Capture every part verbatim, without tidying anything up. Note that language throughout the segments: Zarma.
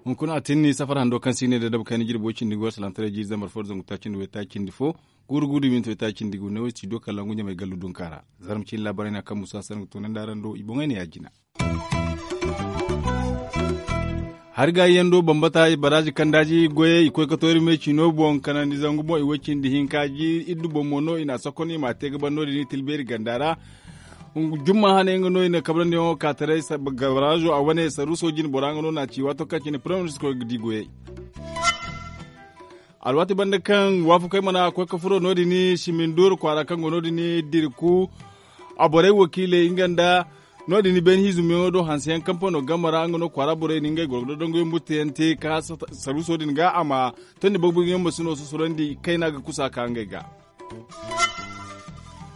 Hunkuna a tinni safar hando kaŋ si ne da dabu kayna jirbo cindi go salaŋ taray jiiri zambar fo da zangu taaci nda waytaaci nda fo. Guuru guuru da minti waytaaci nda gu ne wo studio kalangu ɲamay gallu dunka ra. Zarma cine laabaray no a kaŋ musa sanni ga toonandi araŋ do i boŋey ne ya- jina. Hari gaayi yaŋ do bambata baraazi kandaazi goyey i koy ga toori me ciino boŋ kanandi zangu boŋ i way cindi hinka jiiri iddu boŋ mo no i na a sokon i m'a te ga ban no- din i tilbeeri ganda ra. Jumma hane nga no i na kabrandi yaŋo ka taray baraazo a wane saruuso jine bora nga no na a ci waato kaŋ cine premier ministre koy ga di goyey. Alwaati banda kaŋ waafakey mana koy ga furo no- din siminduuru kwaara kaŋ go no- din dirku. A borey wakiiley nga nda no- din beene hiizumiyaŋo do hanseyaŋ kampano game ra nga no kwaara borey na ngey gorgodo dangoyaŋ butteyaŋ te ka saruuso din ga a ma tondi bagburguyaŋ ma si no susurandi kayna ga kusa ka ngey ga.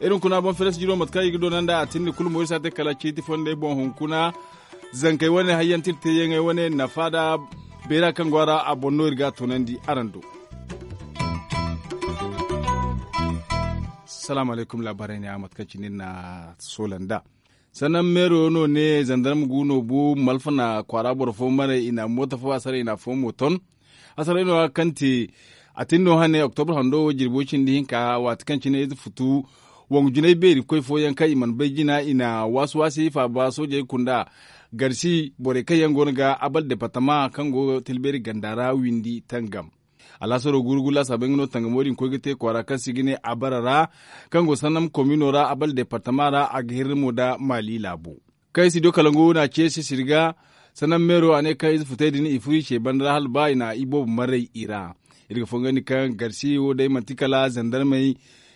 Iri hunkuna boŋ feres jiro mate kaŋ i ga doona nd'a a tindi kulu mo iri si a te kala ciiti fondey boŋ hunkuna. Zankey wane hayyanti iri teeyaŋey wane nafa nda beera kaŋ go a ra a boŋ no iri ga a toonandi araŋ do. Salaamu alaykum laabaarey ne a mate kaŋ cine iri na a soola nd'a. Sannan meero no ne zandarma gu no bu malfa na kwaara boro fo maray i na moota fo a saray i na afo mo ton. Hasaray no a kaŋ te a tin no hane oktobra hando wo jirbo cindi hinka waati kaŋ cine ize futu. Wangu jinay beeri koy fooyaŋ kaŋ i mana bay jina i na waasi waasi faaba soojey kunda garsi borey kaŋ yaŋ go no ga abal departama kaŋ go tilbeeri ganda ra windi tangam. Alaasaro guuru guuru laasaabey nga no tangamo din koy ga te kwaara kaŋ se i ga ne abara ra kaŋ go sannam komino ra abal departama ra a ga hirri mo nda maali laabo. Kaŋ studio kalangu na ce sisiri ga sannam meero a ne kaŋ ize futey din i furo i ce banda ra hala ba i na i boobo maray i ra. Iri ga fongandi kaŋ garsi wo day manti kala zandarmey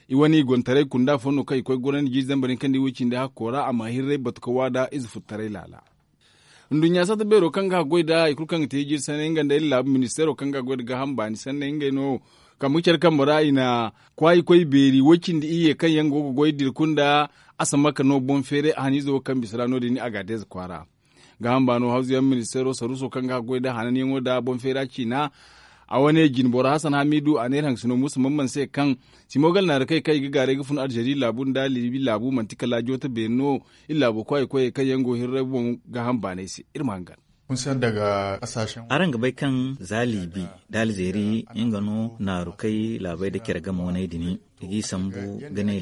i wane i gontaray kunda fo no kaŋ i koy ga gorandi jiiri zambar hinka nda i way cindi hakko ra a ma hirray batu ga waada ize futtaray laala. Nduɲɲa satta beero kaŋ ga haggoy nda hari kulu kaŋ ga te jiiri sanney nga nda iri laabu ministeero kaŋ ga goy nda gaaham baani sanney ngey no kambe ga care kambe ra i na kwaayi koy beeri way cindi iyye kaŋ yaŋ go ga goy dirku nda asamaka no boŋ feeray a haniizo wo kaŋ bisa ra no- din a ga a deeza kwaara. Gaaham baano hawzuyaŋ ministeero saruuso kaŋ ga haggoy nda hananyaŋo nda boŋ feera ciina. A wane jinboro hasan hamiidu a ne iri hangasino muusa mamman se kaŋ simo gala naari kaŋ i ga gaaray ga fun aljeri laabu nda liibi laabu manti kala joota beeri no. Iri laabo kwaayi koyey kaŋ yaŋ go hirray boŋ gaaham baanay se iri ma hangan. Araŋ ga bay kaŋ za liibi nda alzeri nga no naarukey laabey nda care game waney din i g'i sambu ga ne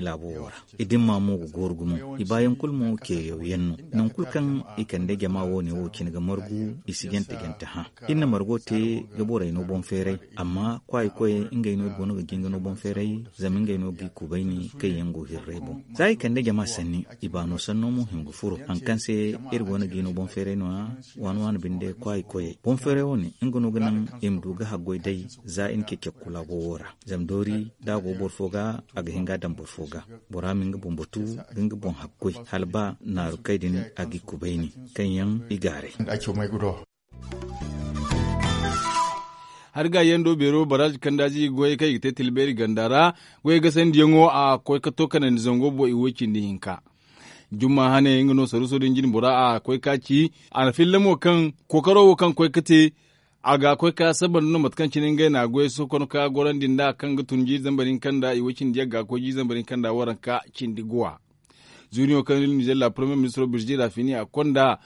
laabo wo ra. I dimma mo ga gooru gumo i baayaŋ kulu mo ceeyaw yaŋ no. Nangu kulu kaŋ i kande jama wo- ne wo cine ga margu i si jante jante hã. Iri na margo te ga borey no boŋ feeray amma kwaayi koyey ngey no iri go no ga jinga no boŋ feeray. Zama ngey no g'i kubayni kaŋ yaŋ go hirray boŋ za i kande jama sanni i baano sanno mo hima ga furo hari kaŋ se iri go no g'i no boŋ feeray no- ya. Waani waani binde kwaayi koyey boŋ feeray wo- ne nga no ga naŋ i ma du ga haggoy day za i na cecekku laabo wo ra. Zama doori da a go boro fo ga a ga hin ga a daŋ boro fo ga. Bora ma nga boŋ batu ga nga boŋ haggoy hala ba naaru kay din a g'i kubayni kaŋ yaŋ i gaaray. Hari ga yando beero baraazi kandaazi goyey kaŋ i ga te tilbeeri ganda ra goyey gasandiyaŋo a koy ga to kanandi zango boŋ i way cindi hinka. Jumma hane nga no saruuso din jine bora a koy ga ci a na filla mo kaŋ kookaro wo kaŋ koy ga te a ga koy ga saba nda no mate kaŋ cine ngey na a goyey sohõ konda ka gorandi nd'a kaŋ ga tun jiiri zambar hinka nda i way cindi yagga ga koy jiiri zambar hinka nda waranka cindi guwa. Zuniyo kaŋ iri nizeer la premier ministro birjira fini a konda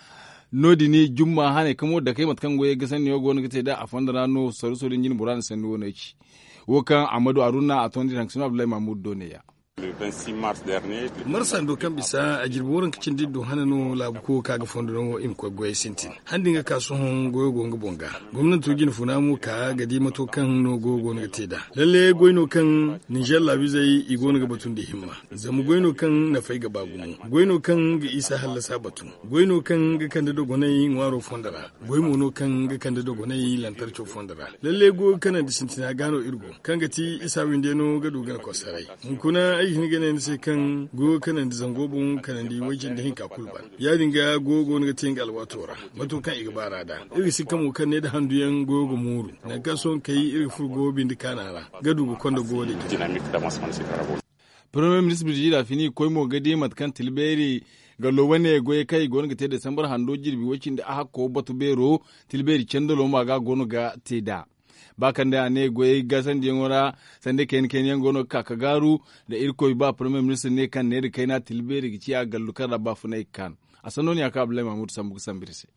no- din jumma hane kamo dakey mate kaŋ goyey ga sanniyo go no ga te nd'a a fondo ra no saruuso din jine bora na sanni wo no ay ci. Wo kaŋ ammadu aruna a tondi iri haŋ ga sino abdullahi mahmud do ne- ya. Marsa do kaŋ bisa a jirbi waranka cindi iddu hane no laabu koyo ka ga fondo no i ma koy goyey sintin. Handi nga ka sohõ goyo go nga boŋ ga gomnanto jine funa mo ka ga di mato kaŋ no goyo go no ga te nd'a. Lalle goy no kaŋ ninzeer laabu izey i go no ga batu nda himma. Zama goy no kaŋ nafay ga ba gumo. Goy no kaŋ ga isa hallasa batu. Goy no kaŋ ga kande dogonay ŋwaaro fondo ra. Goy mo no kaŋ ga kande dogonay lantarco fondo ra. Lalle goyo kanandi sintina ga no iri go kaŋ ga ti isa winde no ga du gana kosaray. Hunkuna ay ga hin ga ne ni se kaŋ goyo kanandi zango boŋ kanandi way cindi hinka kulu ban. Ya- din ga goyo go no ga te nga alwaato ra mato kaŋ i ga baara nd'a. Iri ga si kamo kaŋ ne nda handuyaŋ goyo ga mooru. Nangu kaŋ sohõ kay iri ga furo goyo bindi kaana ra ga du ga konda goyo din. Premier ministre birjira fini koy mo ga di mate kaŋ tilbeeri gallo wane goyey kaŋ i go no ga te desambar hando jirbi way cindi a hakko batu beero. Tilbeeri candalo mo a ga go no ga te nd'a. Ba kaŋ day a ne goyey gasandiyaŋo ra, sanda kayna kayna yaŋ go no ga ka ga gaaru. Da irkoy ba parmiye ministir ne kaŋ neera kayna tilbeeri ga ciya gallu kaŋ ra baafunay ga kaan. A sanno no ya kaŋ abdullahi mahmud sambu ga sambu iri se.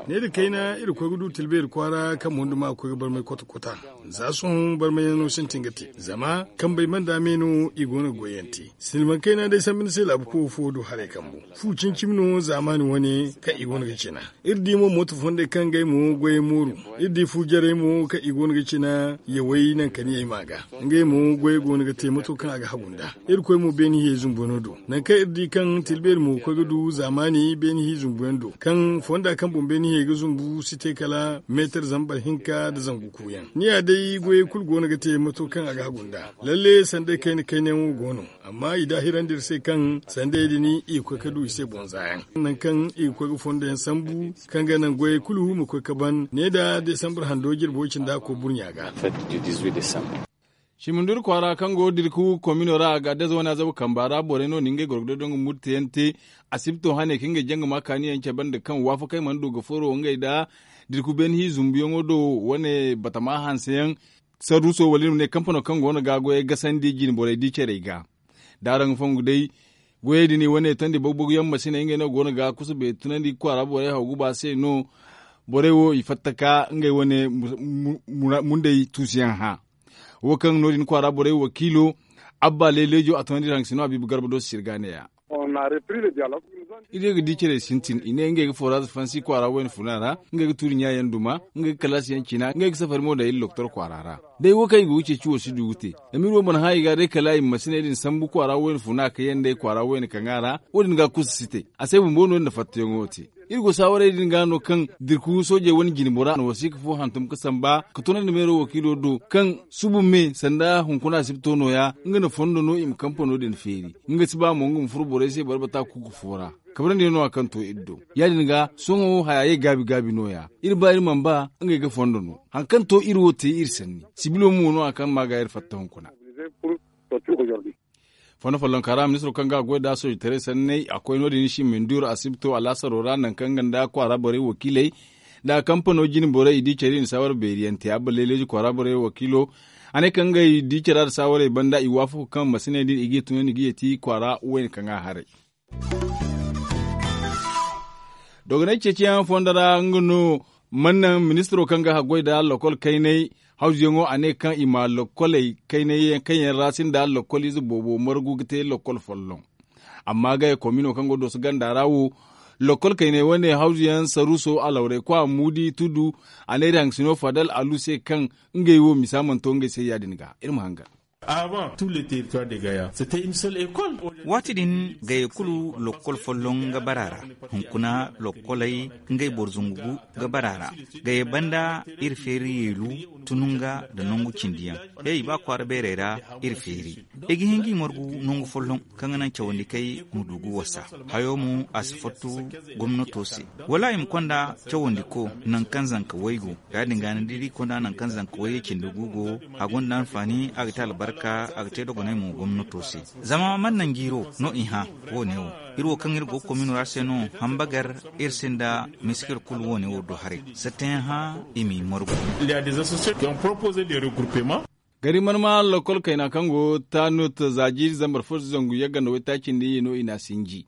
Neera kayna iri ga koy ga du tilbeeri kwaara kaŋ mondo ma ga koy ga barmay kota kota. Za sohõ barmayyaŋo sintin ga te zama kambey banda me no i go no ga goyyaŋ te. Silmaŋ kayna day sambu ni se laabu koyo fo do haray kambu. Fu cimi cimi no zaamaani wane kaŋ i go no ga cina. Iri di mo mooto fondey kaŋ ngey mo goyey mooru. Iri di fu jarey mo kaŋ i go no ga cina yawey nankaniyey ma ga. Ngey mo goyey go no ga te mato kaŋ a ga hagu nd'a. Irkoy mo beeni hiyey zumbuyaŋo do. Nangu kaŋ iri di kaŋ tilbeeri mo ga koy ga du zaamaani beeni hiya zumbuyaŋ do kaŋ fonda kaŋ boŋ beeni hiyey ga zumbu si te kala meetar zambar hinka nda zangu kuuyaŋ. Ni ya day goyey kulu go no ga te mato kaŋ a ga hagu nd'a. Lalle sanday kayna kaynayaŋo go no. Amma i daahirandi iri se kaŋ sandayey din i ga koy ga du i se boŋ zaayaŋ. Nangu kaŋ i ga koy ga fondo yaŋ sambu kaŋ ga naŋ goyey kulu ma koy ga ban ne nda desambar hando jirbo cindi a ga koy burɲa ga. Simindur kwaara kaŋ go dirku komino ra a ga adez wane azabu kamba ra borey no na ngey gorgodo dongu murteyaŋ te. Asibto hane kaŋ ga janga ma kaaniyaŋ cabe nda kaŋ waafakey mana du ga furo ngey nda dirku beene hi zumbuyaŋo do wane batama hanseyaŋ. Sarruso wala iri ma ne kampano kaŋ go no ga goyey gasandi jine borey di carey ga. Da araŋ ga fongu day goyey din i wane tondi bogu bogu yaŋ masiney ngey no go no ga kusa beeri tunandi kwaara borey haw guba se no. Borey wo i fatta ka ngey wane mundey tuusuyaŋ hã. Wo kaŋ no- din kwaara borey wakiilo abba leeleejo a toonandi iri haŋ ga si no a biibi garba do si sirga neeya. Iri ye ga di care sintin i ne ngey ga foraaz fansi kwaara wayna funa ra. Ngey ga tuuri ɲaayaŋ duma ngey ga kalaasiyaŋ cina ngey ga safari mo daŋ iri lokotor kwaara ra. Day wo kaŋ i go ga ceeci wo si du ga te. Zama iri wo mana hã i ga day kala i ma masiney din sambu kwaara wayna funa kaŋ yaŋ day kwaara wayna kaŋ a ra. Wo- din ga kusa si te a se bumbo no- din na fattayaŋo te. Iri go saawarey din ga no kaŋ dirku soojey wane jine bora na wasiika fo hantum ga samba ga tunandi meero wakiilo do kaŋ subu me sanda hunkuna asibto nooya. Nga na fondo no i ma kampano din feeri. Nga si ba mo nga ma furo borey se boro bata kuuku fo ra. Kabrandi no a kaŋ to iri do ya- din ga sohõ haya ye gaabi gaabi nooya. Iri ba iri mana ba ngey ga fondo no. Hari kaŋ to iri wo te iri sanni sibilo mo no a kaŋ ma ga iri fatta hunkuna. Fondo follonka ra ministiro kaŋ ga a goy nd'a soojitaray sanney a koy no- din i si minduuru asibto alaasaro ra nangu kaŋ nga nda kwaara borey wakiiley nda kampano jine borey i di care i na saawara beeriyaŋ te abba leeleeji kwaara borey wakiilo. A ne kaŋ ngey di cara nda saawarey banda i waafaku kaŋ masiney din i g'i tunandi ga yeeti kwaara wayna kaŋ a haray. Dogonay ceeciyaŋ fondo ra nga no man naŋ ministiro kaŋ ga haggoy nda lokol kaynay hawzuyaŋo a ne kaŋ i ma lokoley kaynay yaŋ kaŋ yaŋ ra sinda lokol ize boobo margu ga te lokol folloŋ. Amma gaya komino kaŋ go dooso ganda ra wo lokol kaynay wane hawzuyaŋ saruuso alawray kwa muudi tudu a ne iri haŋ ga si no fadal alu se kaŋ ngey wo misa mana to ngey se ya- din ga iri ma hangan. Waati din gaya kulu lokkol folloŋ ga bara a ra. Hunkuna lokkoley ngey boro zungu ga bara a ra. Gaya banda iri feeri yeelu tununga nda nangu cindi yaŋ. Hey ba kwaara beerey ra iri feeri. Ay ga hin g'i margu nangu folloŋ kaŋ ga naŋ cawandikey ma du ga wasa. Hayo mo a si fattu gomnato se. Wala i ma konda cawandiko nangu kaŋ zanka way go. Ya- din ga ni di iri konda nangu kaŋ zanka way cindi gu go. A gonda anfaani a ga te albarka a ga te dogonay mo gomnato se. Zama man naŋ jiiro no i hã wo- ne wo. Iri wo kaŋ iri go ga komino ra se no hambagar iri sinda miskir kulu wo- ne wo do haray. Sattayaŋ hã i m'i margu. Gari marma lokol kayna kaŋ go tanut za jiiri zambar fo zangu yagga nda waytaaci nda iyye no i n'a sinji.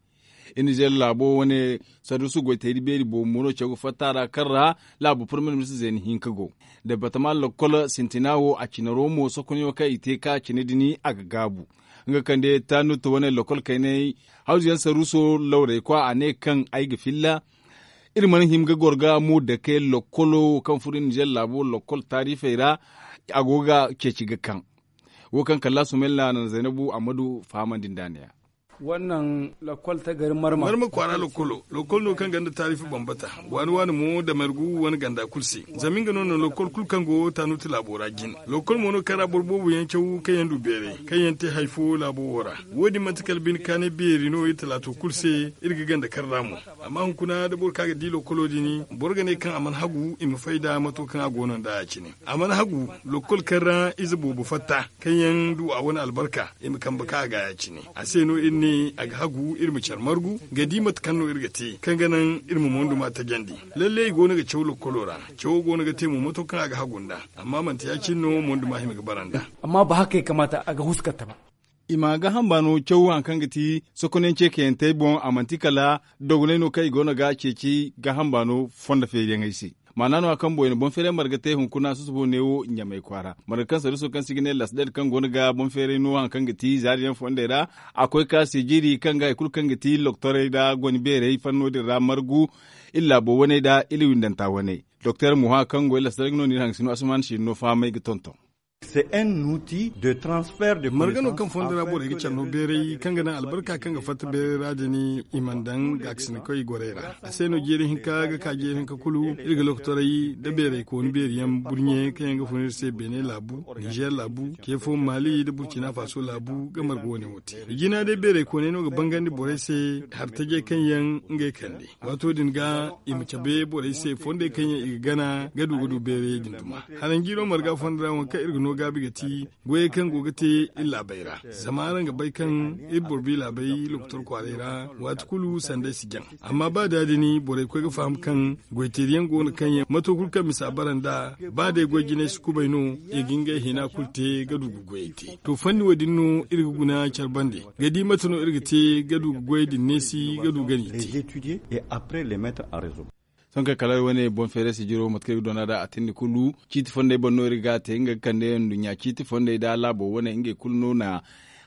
Iri na zeera laabo wane saduusu goytayri beeri boobo mo no caw ga fatta a ra kaŋ ra laabo parmiye ministir zeena hinka go. Departama lokol sintina wo a cinaro mo sokonyo kaŋ i te ka cine dini a ga gaabu. Nga kande tanut wane lokol kaynay hawzuyaŋ saruuso lawray kwa a ne kaŋ ay ga filla. Iri mana hima ga goro ga mo dake lokkolo wo kaŋ furo ninzeer laabo lokkol taarifey ra. A go ga ceeci ga kaŋ wo kaŋ kalla sumayla na zaynabu ammadu fahamandi nd'a neeya. Marma kwaara lokkolo lokkol no kaŋ ganda taarifi bambata waani waani mo damargu wane ganda kulu se. Zama nga no na lokkol kulu kaŋ go tanuuti laabo ra jin. Lokkol mo no kaŋ ra boro boobo yaŋ caw kaŋ yaŋ du beeray kaŋ yaŋ te hari fo laabo wo ra. Wo- din manti kala bine kaanay beeri no iri talaato kulu se. Iri ga ganda kar ra mo. Amma hunkuna da boro kaŋ a ga di lokkolo din boro ga ne kaŋ a mana hagu i ma fay nd'a mato kaŋ a go no nd'a ya- cine. A mana hagu lokkol kaŋ ra ize boobo fatta kaŋ yaŋ du a wane albarka i ma kambe kaŋ a ga ya- cine. A se no iri ne. A ga hagu iri ma care margu ga di mate kaŋ no iri ga te kaŋ ga naŋ iri ma monduma tajandi. Lalle i go no ga caw lokkolo ra. Cawo go no ga te mo mato kaŋ a ga hagu nd'a. Amma manti ya- cine no monduma hima ga bara nd'a. Amma ba haka ya kamaata a ga huskanta ba. I ma gaaham baano caw hari kaŋ ga ti sokonayaŋ ceekayantey boŋ a manti kala dogonay no kaŋ i go no ga ceeci gaaham baano fondo feeriyaŋey se. Maana no- ya kaŋ boŋ i na boŋ feeray marga te hunkuna susubo neewo ɲamay kwaara marga kaŋ saruuso kaŋ se i ga ne lasded kaŋ go no ga boŋ feeray no hari kaŋ ga ti zaari yaŋ fondey ra. A koy ka seejeeri kaŋ ga hari kulu kaŋ ga ti loktorey nda goni beerey fanno din ra margu iri laabo waney nda iri windanta waney. Doktor muha kaŋ go iri lasded no no iri hangasino asuman siiri no fahamay ga tonton. Marga no kaŋ fondo ra borey ga care no beeray kaŋ ga naŋ albarka kaŋ ga fatta beeray ra din i mana daŋ gaakasinakey gorey ra. A se no jeeri hinka ga ka jeeri hinka kulu iri ga lokotoray nda beeray kooni beeri yaŋ burɲe kaŋ yaŋ ga fun iri se beene laabu, nizeer laabu, ce fo maali nda burcina faso laabu ga marga wane wo te. Jina day beeray kooney no ga bangandi borey se hari tajey kaŋ yaŋ ngey kande. Waato din ga i ma cabe borey se fondey kaŋ yaŋ i ga gana ga du ga du beerey din duma. Haranjiiro marga fondo ra waŋ kaŋ iri ga no gaabi ga ti goyey kaŋ go ga te iri laabey ra. Zama araŋ ga bay kaŋ iri boro bi laabey lokotor kwaaray ra waati kulu sanday si jaŋ. Amma ba da- din borey koy ga faham kaŋ goyteeriyaŋ go no kaŋ yaŋ mato kulu kaŋ misa bara nd'a. Ba day goy jinay si kubay no i ga ngey hina kulu te ga du ga goyey te. To fanni wo- din no iri ga guna care bande ga di mate no iri ga te ga du ga goyey din neesi ga du ga n'i te. Sohõ kala iri wane boŋ feeray sijiro mate kaŋ iri ga doona nd'a a tindi kulu ciiti fondey boŋ no iri ga a te nga ga kande nduɲɲa ciiti fondey nda laabo wane ngey kulu no na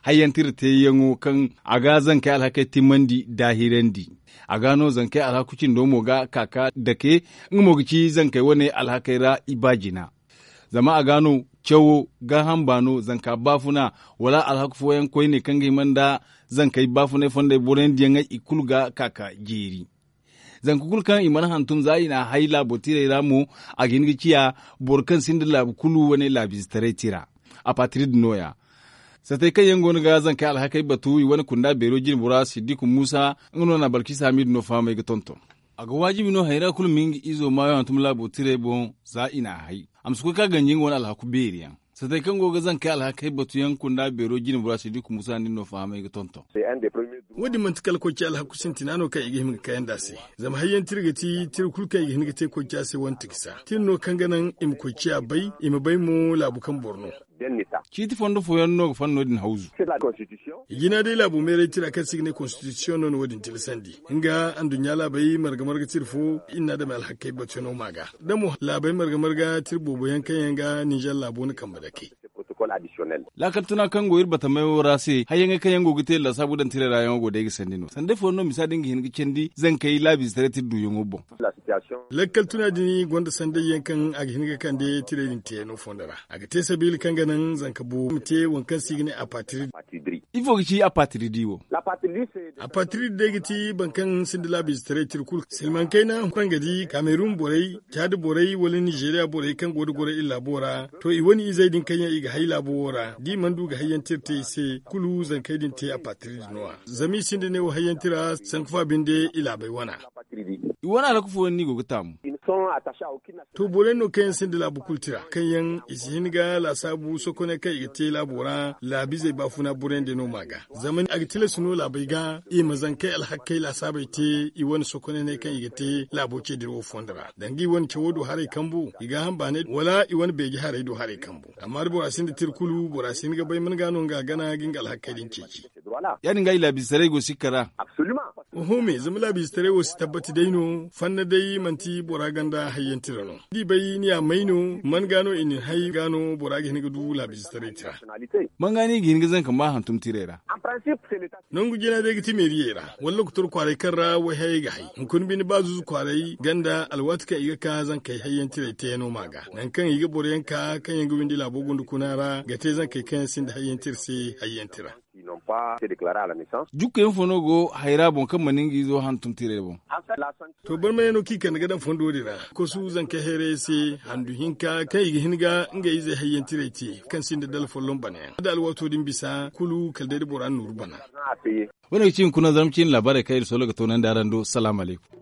hayyanti iri teeyaŋo kaŋ a ga zankey alhakey timmandi daahirandi. A ga no zankey alhaku cindo mo ga ka ka dake nga mo ga ci zankey wane alhakey ra i ba jina. Zama a ga no cawo gaaham baano zanka baafuna wala alhaku fooyaŋ koyne kaŋ ga hima nda zankey baafunay fondey boroyaŋ diyaŋey i kulu ga ka ka jeeri. Zanka kulu kaŋ i mana hantum za i n'a hay laabo tirey ra mo a ga hin ga ciya boro kaŋ sinda laabu kulu wane laabiizetaray tira. A paatiri din nooya. Satey kaŋ yaŋ go no ga zankey alhakey batu i wane kunda beero jine bora siddiku muusa nga no na balkisa hamidu no fahamay ga tonton. A ga waajibi no hayra kulu ma nga izo maayo hantum laabo tirey boŋ za i n'a hay. A ma si koy ka ganji nga wane alhaku beeri yaŋ. Satey kaŋ go ga zankey alhakey batu yaŋ kunda beero jine bora siddiku muusa din no fahamay ga tonton. Wo- din manti kala koy ce alhaku sintina no kaŋ i ga hima ga kayandi a se. Zama hayyaŋ tira ga ti tira kulu kaŋ i ga hin ga te koy ce a se wane tikisa tira no kaŋ ga naŋ i ma koy ciya bay i ma bay mo laabu kaŋ boro no. Ciiti fondo fooyaŋ no ga fanno din hawzu. I jina day laabo meeray tira kaŋ se i ga ne konstitisiyoŋ no na wo- din tilasandi. Nga anduɲɲa laabey marga marga tira fo iri n'a dame alhakey batuyaŋo ma ga da mo laabey marga marga tira boobo yaŋ kaŋ yaŋ ga ninzeer laabo na kambe dake. Laakal tuna kaŋ go iri batamayo ra se hayyaŋey kaŋ yaŋ go ga te laasaabu daŋ tirey ra yaŋo go day ga sandi no sanday fooyaŋ no misa din ga hin ga candi zankey laabiizetaray tira duuyaŋo boŋ. Lakkal tuna din gonda sanday yaŋ kaŋ a ga hin ga kande tirey din teeno fondo ra. A ga te sabiila kaŋ ga naŋ zanka boobo ma te waŋ kaŋ se i ga ne apatiri. Ifo ga ci apatiri di wo? Apatiri di day ga ti boro kaŋ sinda laabiizetaray tira kulu silmaŋ kayna huranga di kamerun borey, caadi borey wala nizeeriya borey kaŋ go da goro iri laabo ra. To i wane izey din kaŋ yaŋ i ga hay laabo wo ra da i mana du ga hayyaŋ tira te i se kulu zankey din te apatiri din no- ya. Zama i sinda neewo hayyaŋ tira sanku fa binde i laabey wana. I wane alhaku fooyaŋ no i go ga taamu. To borey no kaŋ yaŋ sinda laabu kulu tira kaŋ yaŋ i si hin ga laasaabu sokoney kaŋ i ga te laabo ra laabiizey baafuna borey nda no ma ga. Zama a ga tilas no laabey ga i ma zankey alhakey laasaabey te i wane sokoney kaŋ i ga te laabo ce dirawo fondo ra danga i wane cawo do haray kambu i ga hamba ne wala i wane beeje haray do haray kambu. Amma da bora sinda tira kulu bora si hin ga bay man ga no nga gana ga nga alhakey din ceeci. Ya- din ga i laabiizetaray go sikka ra. Oho me zama laabiizetaray wo si tabbati day no fanna day manti bora ganda hayyaŋ tira no da i bay ni ya may no man ga no i na ni hay ga no bora ga hin ga du laabiizetaray tira. Man ga no i ga hin ga zanka ma hantum tirey ra? Nangu jina day ga ti meeriyey ra wala lokotor kwaaray kaŋ ra wayhayey ga hay hunkuna bine ba zuuzu kwaaray ganda alwaati kaŋ i ga ka zankey hayyaŋ tirey teeno ma ga nangu kaŋ i ga boro yaŋ ka kaŋ yaŋ ga windi laabo gunda kuna ra ga te zankey kaŋ yaŋ sinda hayyaŋ tira se hayyaŋ tira. Jukka yaŋ fo no go hayra boŋ kaŋ mana nga izo hantum tirey boŋ. To barmayaŋo kaŋ i kande ga daŋ fondo din ra kosu zankey hayrayey se handu hinka kaŋ i ga hin ga ngey izey hayyaŋ tirey te kaŋ sinda dala folloŋ bana yaŋ da alwaato din bisa kulu kala day da bora na nooru bana. Wane ga ci hunkuna zarma ciine laabaarey kaŋ iri solo ga toonandi araŋ do salaamu alaykum.